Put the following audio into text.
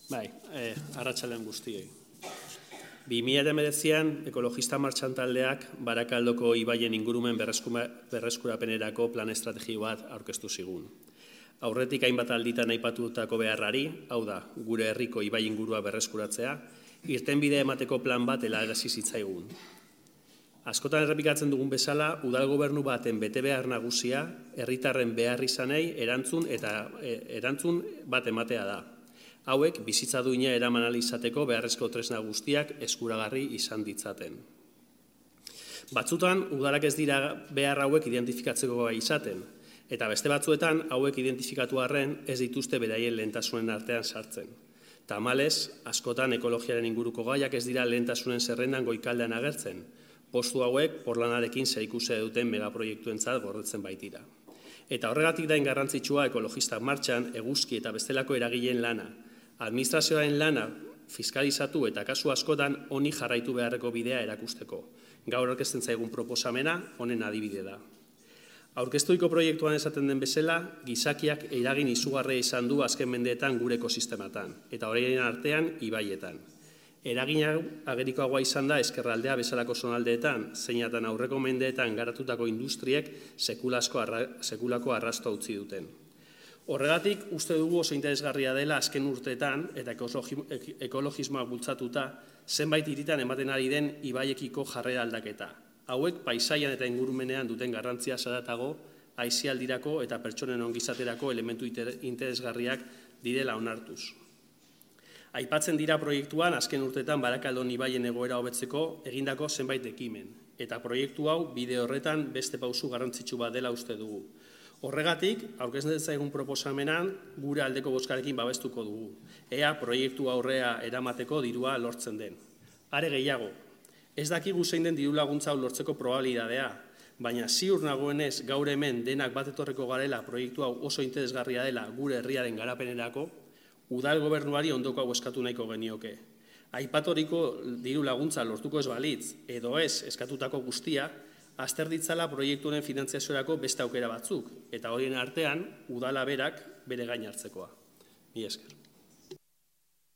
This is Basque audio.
Bai, arratsaldean guztioi. 2019an ekologista martxan taldeak Barakaldoko ibaien ingurumen berreskurapenerako plan estrategio bat aurkeztu zigun. Aurretik hainbat alditan aipatutako beharrari, hau da, gure herriko ibai ingurua berreskuratzea, irtenbide emateko plan bat helarazi zitzaigun. Askotan errepikatzen dugun bezala, udal gobernu baten betebehar nagusia herritarren beharrizanei erantzun bat ematea da. Hauek bizitza duina eraman ahal izateko beharrezko tresna guztiak eskuragarri izan ditzaten. Batzutan, udalak ez dira behar hauek identifikatzeko gai izaten, eta beste batzuetan hauek identifikatu arren ez dituzte beraien lehentasunen artean sartzen. Tamalez, askotan ekologiaren inguruko gaiak ez dira lehentasunen zerrendan goikaldean agertzen, postu hauek porlanarekin zerikusia duten megaproiektuentzat gordetzen baitira. Eta horregatik dain garrantzitsua ekologista martxan eguzki eta bestelako eragileen lana, administrazioaren lana fiskalizatu eta kasu askotan honi jarraitu beharreko bidea erakusteko. Gaur aurkezten zaigun proposamena honen adibide da. Aurkezturiko proiektuan esaten den bezala, gizakiak eragin izugarria izan du azken mendeetan gure ekosistematan, eta horien artean ibaietan. Eragina agerikoagoa izan da ezkerraldea bezalako zonaldeetan, zeinatan aurreko mendeetan garatutako industriek sekulako arrastoa utzi duten. Horregatik, uste dugu oso interesgarria dela azken urteetan eta ekologismoa bultzatuta zenbait hiritan ematen ari den ibaiekiko jarrera aldaketa. Hauek paisaian eta ingurumenean duten garrantzia zaratago, aisialdirako eta pertsonen ongizaterako elementu interesgarriak direla onartuz. Aipatzen dira proiektuan azken urteetan Barakaldon ibaien egoera hobetzeko egindako zenbait ekimen, eta proiektu hau bide horretan beste pausu garrantzitsu bat dela uste dugu. Horregatik, aurkezten zaigun proposamenan gure aldeko bozkarekin babestuko dugu. Ea proiektu aurrea eramateko dirua lortzen den. Are gehiago, ez dakigu zein den diru laguntza hau lortzeko probabilitatea, baina ziur nagoenez gaur hemen denak bat etorreko garela proiektu hau oso interesgarria dela gure herriaren garapenerako, udal gobernuari ondoko hau eskatu nahiko genioke. Aipatoriko diru laguntza lortuko ez balitz, edo ez eskatutako guztia, azter ditzala proiektu honen finantziaziorako beste aukera batzuk, eta horien artean udala berak bere gain hartzekoa. Mila esker.